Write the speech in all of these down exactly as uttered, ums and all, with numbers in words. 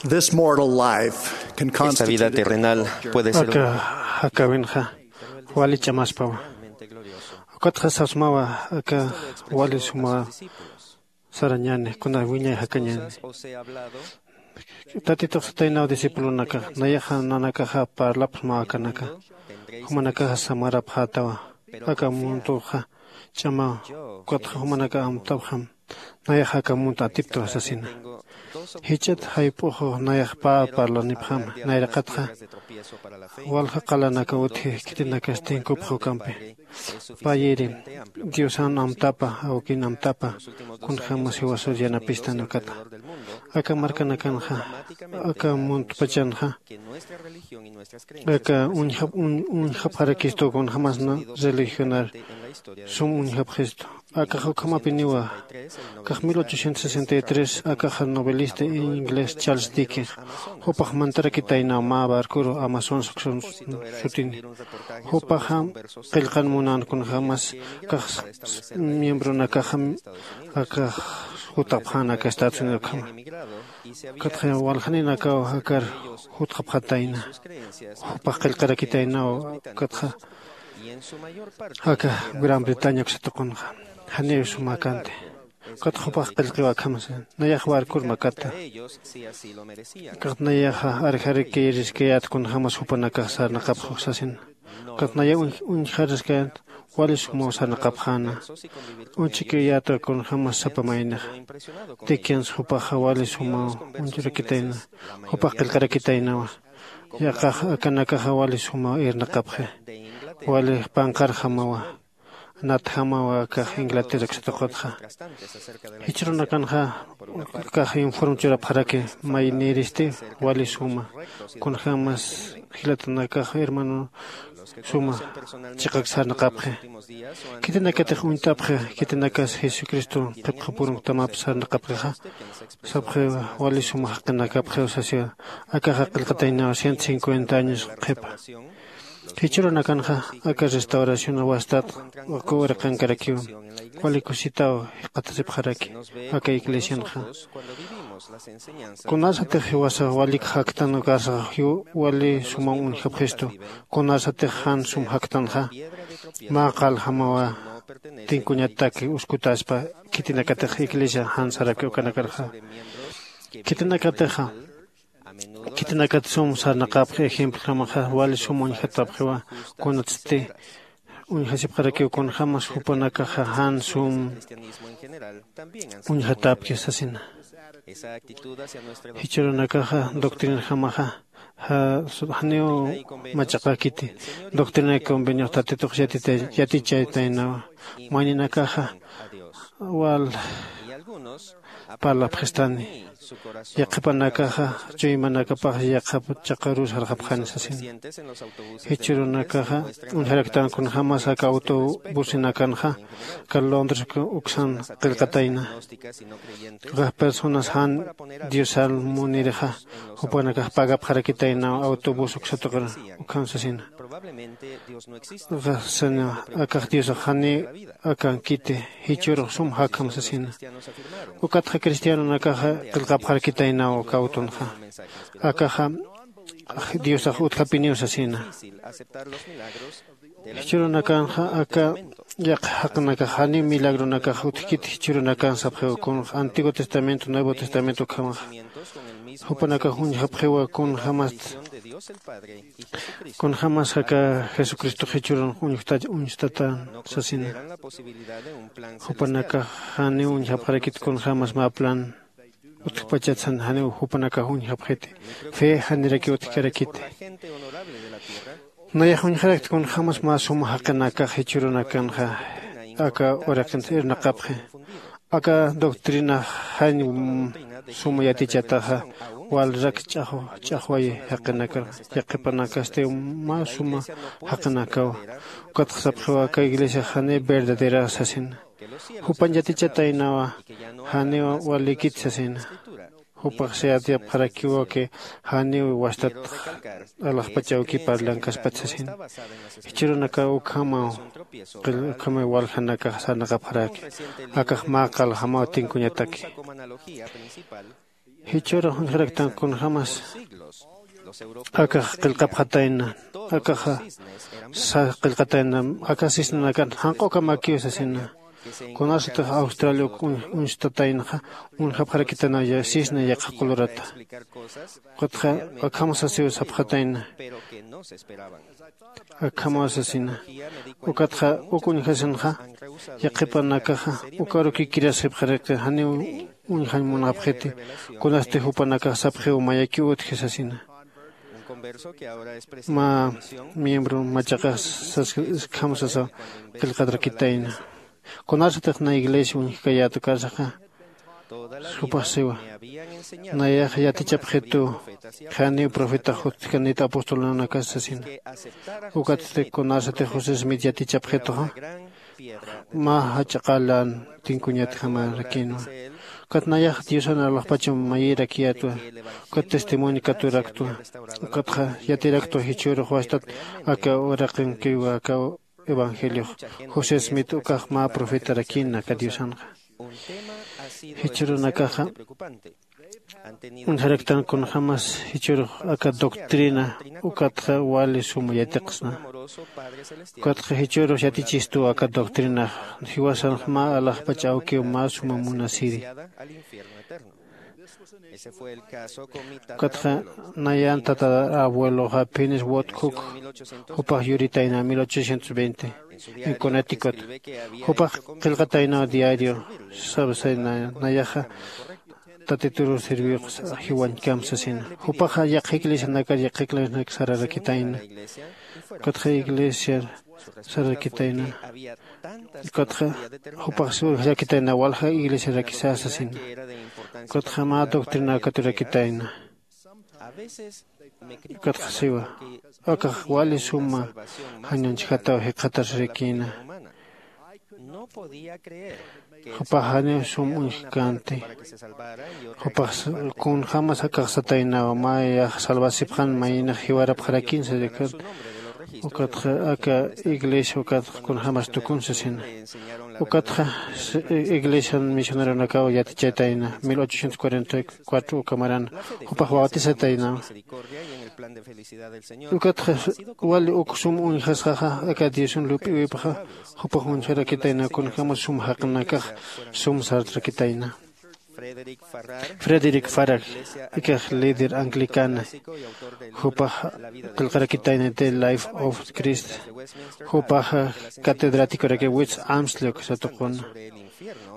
This mortal life can constitute a difficult journey. Esta vida terrenal puede ser una... Aka jakawinxa wali ch'amaspawa. Ukatxa sasmawa aka wali suma sarañäni, kuna wiñay jakañäni. Tatitux sataynaw discipulonakax, nayaxa nanakaxa parlapxsmaw akanaka. Jumanakaxa samarapxätawa. Aka muntuxa ch'amaw, ukatxa jumanakax amtapxam. Nayaxa aka munt atiptawa sasina. Jichhat jayp'uxu nayax pä parlanipxama, nayraqatxa walja qalanakaw utji khitinakas tinkupxi ukampi. Payiri Diosan amtapa, awkin amtapa, kunjämas jiwasar yanapistan ukata. Aka markanakanxa, aka muntpachanxa, aka uñjap-, uñ-, uñjapxarakistu kunjämas na religionar sum uñjapxistu. Akax ukhamapiniwa. Kax mil ochocientos sesenta y tres akaxa novelista inglés Charles Dickens, jupax mantarakitaynaw mä barcuru Amazon sutini. Jupaxa qillqan munan kunjämas kax miembronakaxa akax jutapxän aka Estados Unidos ukhama. Ukatxa waljaninakaw akar jutxapxatayna. Jupax qillqarakitaynaw ukatxa aka Gran Bretaña uksa tuqunxa. Janiw suma kanti. Ukatxa jupax qillqiw akham sasa. Nayax barcur makata. Ukatxa nayaxa arjarikiriskayät kunjämas jupanakax sarnaqapxi sasina. Ukatxa nayax uñ-, uñjariskayät wali sumaw sarnaqapxäna. Uchikiyäta kunjämas sapa maynixa. Dickens jupaxa wali sumaw uñjurakitayna. Jupax qillqarakitaynawa. Yaqax akanakaxa wali sumaw irnaqapxi. Wali panqarjamawa. Natjamawa akax Inglaterra uksa tuqutxa. Jichhürunakanxa akax informe churapxaraki maynïristi wali suma. Kunjämas jilatanakax hermano suma chiqak sarnaqapxi. Khitinakatix uñtapxi, khitinakas Jesucristo qhipxapurunktamapi sarnaqapxixa. Sapxi wali suma jaqinakapxiw sasiwa. Akaxa qillqataynaw ciento cincuenta años qhipa. Jichhürunakanxa aka restauración wastat uka uraqankarakiw wali kusitaw jikxatasipxaraki aka iglesianxa. Kunasatix jiwasa walik jaktan ukasa jiw wali sumam uñjapxistu, kunasatix jan sum jaktanxa, mä qaljamawa tinkuñataki uskutaspa, khitinakatix iglesia jan saraki ukanakarxa. Khitinakatixa, khitinakat sum sarnaqapxi ejemplojamaxa, wali sum uñjatapxiwa, kunatsti uñjasipxarakiw kunjämas jupanakaxa jan sum uñjatapki sasina. Jichhürunakaxa doctrinajamaxa, ja-, janiw machaqakiti. Doctrina y conveniox Tatitux yatita-, yatichaytaynawa. Mayninakaxa wal parlapxistani. Yaqhipanakaxa chuymanakapax yaqhap chaqaruw sarxapxani sasina. Jichhürunakaxa uñjaraktan kunjämas aka autobusinakanxa, aka Londres uksan qillqatayna. Ukax personas jan Diosal munirixa, jupanakax pagapxarakitaynaw autobús uksa tuqir ukham sasina. Ukax sasina, akax Diosax janiw akankiti, jichhürux sum jakham sasina. Ukatxa cristianonakaxa qillqapxarakitaynaw uka autonxa. Akaxa Diosax utjapiniw sasina. Jichhürunakanxa aka yaqha jaqinakax janiw milagronakax utjkiti, jichhürunakan sapxiw kunx Antiguo Testamento, Nuevo Testamento ukhamaxa. Jupanakax uñjapxiwa kunjämast, kunjämas aka Jesucristox jichhürun uñjta-, uñstatan sasina. Jupanakax janiw uñjapxarakit kunjämas mä plan utjpachatsan, janiw jupanakax uñjapxiti. Fe janirakiw utjkarakiti. Nayax uñjarakti kunjämas mä suma jaqinakax jichhürunakanxa aka uraqinsa irnaqapxi. Aka doctrina jan suma yatichataxa, walrak ch'axwa, ch'axwayi jaqinakar, yaqhipanakasti mä suma jaqinakawa. Ukatxa sapxiwa aka iglesiax janiw verdadera sasina. Jupan yatichataynawa, janiw walikit sasina. Jupax sayatiyapxarakiwa que janiw wastat alaxpachawki parlankaspat sasina. Jichhürunakaw ukhamaw, qil-, ukhamaw waljanakax sarnaqapxaraki. Akax mä qaljamaw tinkuñataki. Jichhürux uñjaraktan kunjämas akax qillqapxatayna, akaxa sas qillqatayna, aka cisnanakan janq'ukamakiw sasina. Kunasatix Australia uk uñ- uñstataynaxa, uñjapxarakitana ya- cisna yaqha qulurata. Ukatxa akham sasiw sapxatayna, akhamaw sasina. Ukatxa uk uñjasinxa, yaqhipanakaxa ukaruki kirasipxarakta, janiw uñjañ munapxiti, kunasti jupanakax sapxiw mayakiw utji sasina. Mä miembro machaqax sas- akham sasa qillqatarakitayna. Kunasatix na iglesia uñjkayät ukarsaxa, jupax siwa, nayax yatichapxitu, janiw profetax utjkanit apostolnanakas sasina. Ukatsti kunasatix José Smith yatichapxituxa, mä jach'a qalan tinkuñatjamarakïnwa. Ukat nayax Diosan alaxpacham mayirakiyätwa, ukat testimonio katuraktwa. Ukatxa yatiraktwa jichhürux wastat aka uraqinkiwa aka evangeliox. José Smith ukax mä profetarakïna aka Diosanxa. Jichhürunakaxa uñjaraktan kunjämas jichhürux aka doctrina ukatxa wali suma yatiqsna. Ukatxa jichhürux yatichistu aka doctrinax, jiwasanx mä alaxpach awkiw mä suma munasiri. Ukatxa nayan tatarabueloxa Phineas Ward Cook, jupax yuritayna mil ochocientos veinte en Connecticut. Jupax qillqataynaw diario, sabsayna nayaxa Tatituru servix jiwañkam sasina. Jupaxa yaqha iglesianakar yaqha iglesianak sararakitayna. Ukatxa iglesia sararakitayna. Ukatxa jupax sararakitayna walja iglesiarakisa sasina. Ukatxa mä doctrina katurakitayna. Ukatxa siwa, akax wali suma jañanchjataw jikxatasirikïna. Jupax janiw sum uñjkänti. Jupax kunjämas akax sataynaw, mayax salvasipxän mayinix jiwarapxarakïn sasina. Ukatxa aka iglesia ukatxa kunjämas tukun sasina. Ukatxa s- iglesian misioneronakaw yatichaytayna mil ochocientos cuarenta y cuatro uka maran, jupax bautisataynaw. Ukatxa wali uk sum uñjasxaxa aka Diosan lup'iwipxa, jupax uñjarakitayna kunjämas sum jaqinakax sum sartarakitayna. Frederick Farrar, ikax líder anglicana, jupax qillqarakitayna The Life of Christ, jupax catedráticoraki West Amsley uka satuquna.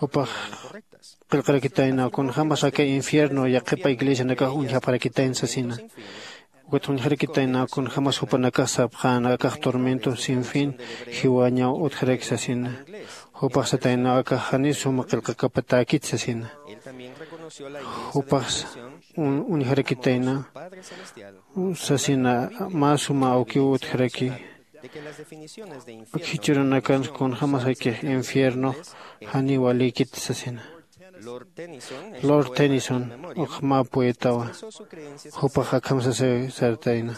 Jupax qillqarakitayna kunjämas aka infierno yaqhipa iglesianakax uñjapxarakitayna sasina. Ukat uñjarakitayna kunjämas jupanakax sapxän akax tormento sin fin jiwañaw utjaraki sasina. Jupax satayna akax janiw suma qillqakapatäkit sasina. Jupax un- uñjarakitayna sasina, mä suma awkiw utjaraki. Jichhürunakan kunjämas akix infiernox janiw walïkit sasina. Lord Tennyson, uk mä poetawa, jupax akham sasa sartayna.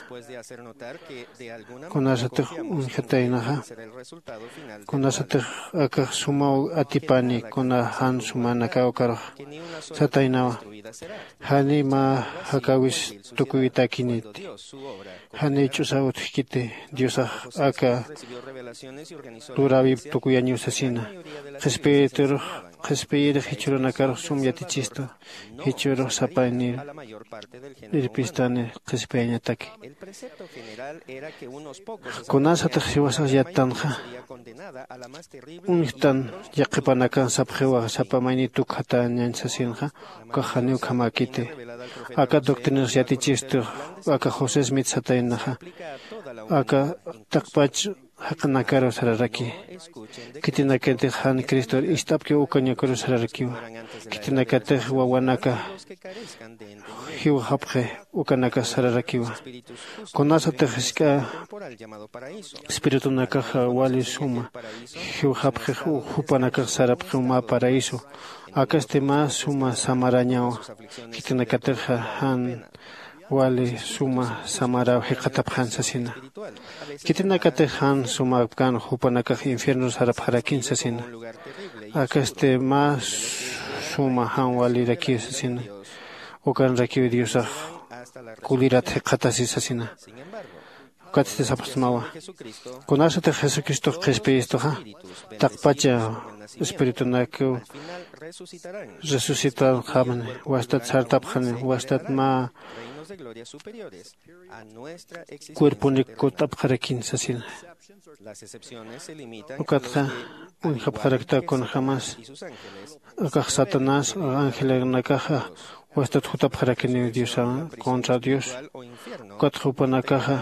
Kunasatix uñjataynaxa, kunasatix akax sumaw atipani kuna jan sumanakaw ukarux sataynawa. Janiw mä jakäwis tukuytäkiniti. Janiw ch'usaw utjkiti, Diosax aka luräwip tukuyañiw sasina. Qhispiyiturux, qhispiyirix jichhürunakarux sum yatichistu, jichhürux sapaynir irpistani qhispiyañataki. Kunasatix jiwasax yattanxa, uñjtan yaqhipanakan sapxiwa sapa mayni tukxatañañ sasinxa, ukax janiw ukhamäkiti. Aka doctrinax yatichistu, aka José Smith sataynaxa, aka taqpach jaqinakaru sararaki. Khitinakatix jan Cristor ist'apkiw ukañakaru sararakiwa. Khitinakatix wawanaka jiwxapxi ukanakax sararakiwa. Kunasatix jisk'a espiritunakaxa wali suma jiwxapxix jupanakax sarapxiw mä paraíso. Akasti mä suma samarañawa. Khitinakatixa jan wali suma samaräw jikxatapxän sasina. Khitinakatix jan sumapkän jupanakax infierno sarapxarakïn sasina. Akasti mä suma jan walirakiw sasina. Ukanrakiw diosax kulirat jikxatasi sasina. Ukatsti sapxsmawa, kunasatix jesucristox qhispiyistuxa taqpacha espiritunakiw resucitarxamani, wastat sartapxani, wastat mä cuerponik kut'apxarakin sasina. Ukatxa uñjapxarakta kunjämas akax satanás angelanakaxa wastat jutapxarakiniw diosa contra dios. Ukatxa jupanakaxa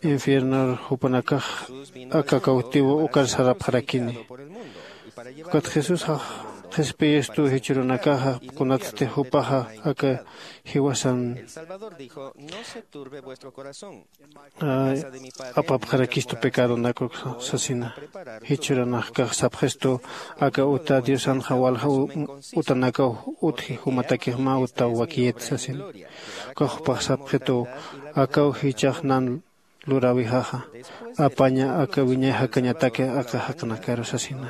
infiernor jupanakax aka cautivo ukar sarapxarakini. Ukat jesusxa qhispiyistu jichhürunakaxa kunatsti jupaxa aka jiwasan apapxarakistu pecadonakuk sasina. Jichhüranaxkax sapxistu aka uta diosanxa walja utanakaw utji jumatakix mä utaw wakiyit sasina. Ukax jupax sapxitu akaw jichhax nan luräwixaxa apaña aka wiñay jakañataki aka jaqinakaru sasina.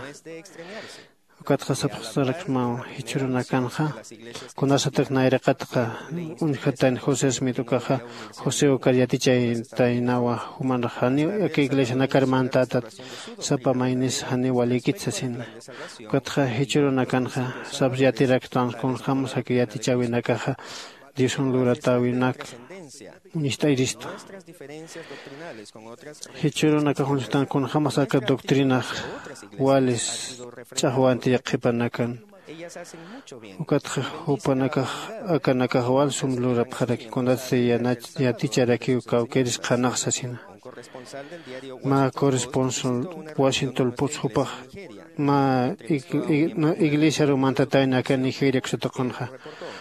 Ukatxa sapxsaraksmaw jichhürunakanxa kunasatak nayraqatxa uñjatayna josé smit ukaxa josé ukar yatichaytaynawa jumanrax janiw aka iglesianakar mantätat sapa maynis janiw walikit sasina. Ukatxa jichhürunakanxa sapx yatiraktan kunjämas aka yatichäwinakaxa diosan luratäwinak uñist'ayristu. Jichhürunakax uñjtan kunjämas aka doctrinax walis ch'axwanti yaqhipanakan. Ukatxa jupanakax akanakax wal sum lurapxaraki kunatsti yaticharakiw kawkïris qhanax sasina. Mä corresponsal washington post jupax mä iglesiaru mantatayna aka nigeria ksatuqunxa.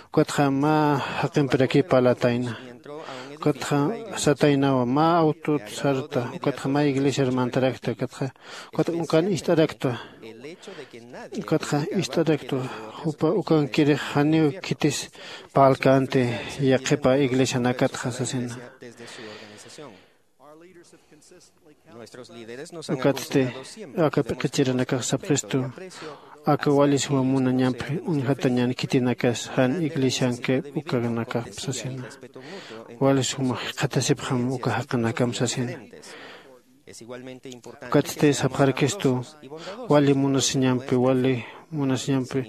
Ukatxa mä jaqimpirakiw parlatayna. Ukatxa sataynawa mä autot sarta ukatxa mä iglesiar mantarakta ukatxa ukat ukan ist'arakta. Ukatxa ist'arakta jupa ukankirix janiw khitis parlkänti yaqhipa iglesianakatxa sasina. Ukatsti aka p'iqichirinakax sapxistu aka wali suma munañampi uñjatañan khitinakas jan iglesiankip ukanakap sasina. Wali suma jikxatasipxam uka jaqinakam sasina. Ukatsti sapxarkistu wali munasiñampi wali munasiñampi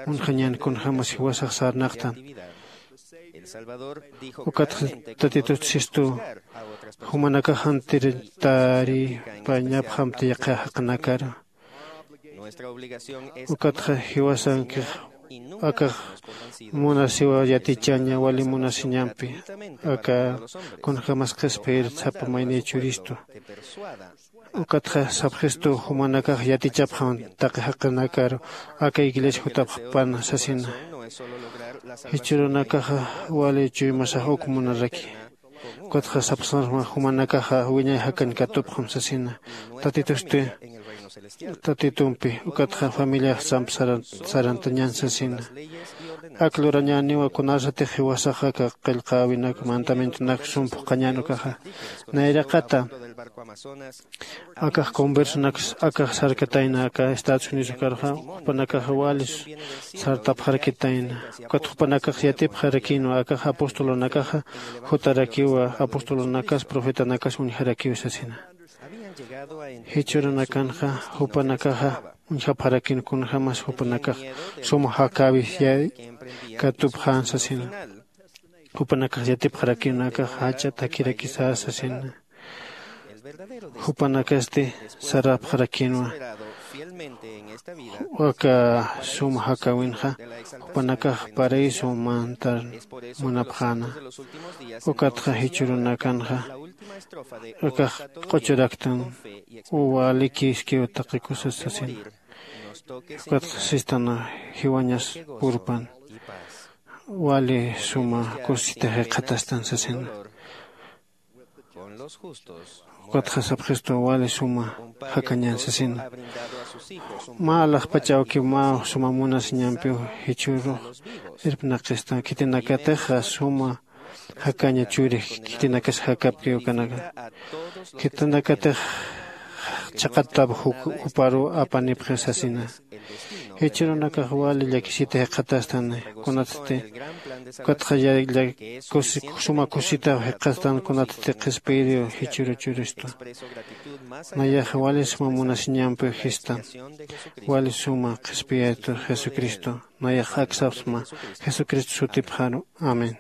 uñjañan kunjämas jiwasax sarnaqtan. Ukatxa tatitut sistu jumanakax jantir taripañapxamti yaqha jaqinakar. Ukatxa jiwasankix akax munasiwa yatichaña wali munasiñampi aka kunjämas qhispiyir sapa mayniy churistu. Ukatxa sapxistu jumanakax yatichapxam taqi jaqinakar aka iglesia jutapxpan sasina. Jichhürunakaxa wali chuymasax uk munaraki. Ukatxa sapxsnarma jumanakaxa wiñay jakañ katupxam sasina. Tatitusti tatitumpi ukatxa familiax samp sarantañan sasina. Ak lurañäniwa kunasatix jiwasax aka qillqäwinak mandamientonak sum phuqhañän ukaxa nayraqata akax conversonakas akax sarkatayna aka estados unidos ukarxa jupanakaxa wali sartapxarakitayna. Ukat jupanakax yatipxarakïnwa akax apostolonakaxa jutarakiwa apostolonakas profetanakas uñjarakiw sasina. Jichhürunakanxa jupanakaxa uñjapxarakïn kunjämas jupanakax sum jakäwis yay katupxän sasina. Jupanakax yatipxarakïnwa akax jach'a takirakisä sasina. Jupanakasti sarapxarakïnwa aka suma jakäwinxa jupanakax paraíso mantar munapxäna. Ukatxa jichhürunakanxa akax q'uchuraktan walikiskiw taqi kusas sasina. Ukatxa sistan jiwañas purpan wali suma kusisita jikxatastan sasina. Ukatxa sapxistu wali suma jakañän sasina. Mä alaxpach awkiw mä suma munasiñampiw jichhürux irpnaqistan khitinakatixa suma jakaña churi khitinakas jakapkiw kanaka. Khitinakatix chhaqattap juparuw apanipxi sasina. Jichhürunakax wali llakisita jikxatastan, kunatsti ukatxa ya- lla- kusi- suma kusitaw jikxastan, kunatsti qhispiyiriw jichhüru churistu. Nayax wali suma munasiñampiw jistan. Wali suma qhispiyätwa jesucristo. Nayax aksapxsma jesucristo sutipxaru. Amén.